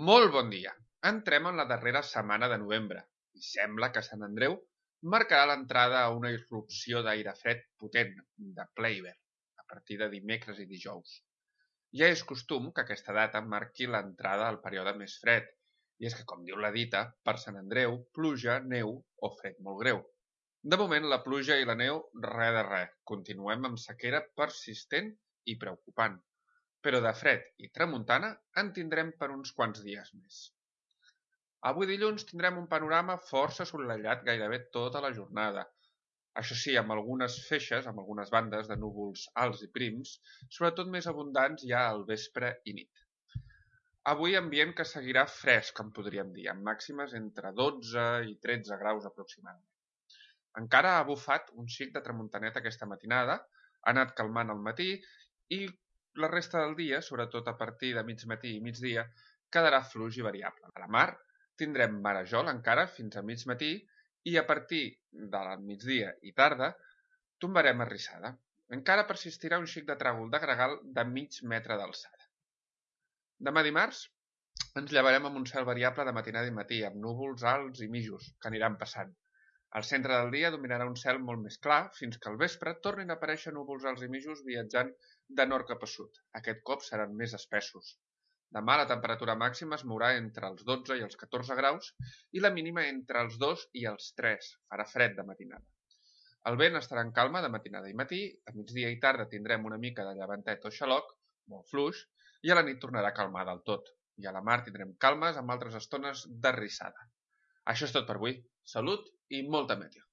Molt bon dia! Entrem en la darrera setmana de novembre i sembla que Sant Andreu marcarà l'entrada a una irrupció d'aire fred potent, de ple hivern, a partir de dimecres i dijous. Ja és costum que aquesta data marqui l'entrada al període més fred, i és que, com diu la dita, per Sant Andreu, pluja, neu o fred molt greu. De moment, la pluja i la neu, res de res. Continuem amb sequera persistent i preocupant. Però de fred i tramuntana en tindrem per uns quants dies més. Avui dilluns tindrem un panorama força assolellat gairebé tota la jornada. Això sí, amb algunes feixes, amb algunes bandes de núvols alts i prims, sobretot més abundants ja al vespre i nit. Avui ambient que seguirà fresc, com podríem dir, amb màximes entre 12 i 13 graus aproximadament. Encara ha bufat un xic de tramuntaneta aquesta matinada, ha anat calmant al matí i la resta del dia, sobretot a partir de mig matí i migdia, quedarà fluix i variable. A la mar tindrem marejol encara fins a mig matí i a partir del migdia i tarda tombarem arrissada. Encara persistirà un xic de tràgol de gregal de mig metre d'alçada. Demà dimarts ens llevarem amb un cel variable de matinada i matí, amb núvols alts i mijos que aniran passant. Al centre del dia dominarà un cel molt més clar fins que al vespre tornin a aparèixer núvols alts i mijos viatjant de nord cap a sud. Aquest cop seran més espessos. Demà la temperatura màxima es mourà entre els 12 i els 14 graus i la mínima entre els 2 i els 3. Farà fred de matinada. El vent estarà en calma de matinada i matí, a migdia i tarda tindrem una mica de llevantet o xaloc, molt fluix, i a la nit tornarà a calmar del tot. I a la mar tindrem calmes amb altres estones d'arrissada. Això és tot per avui. Salut i molta meteo.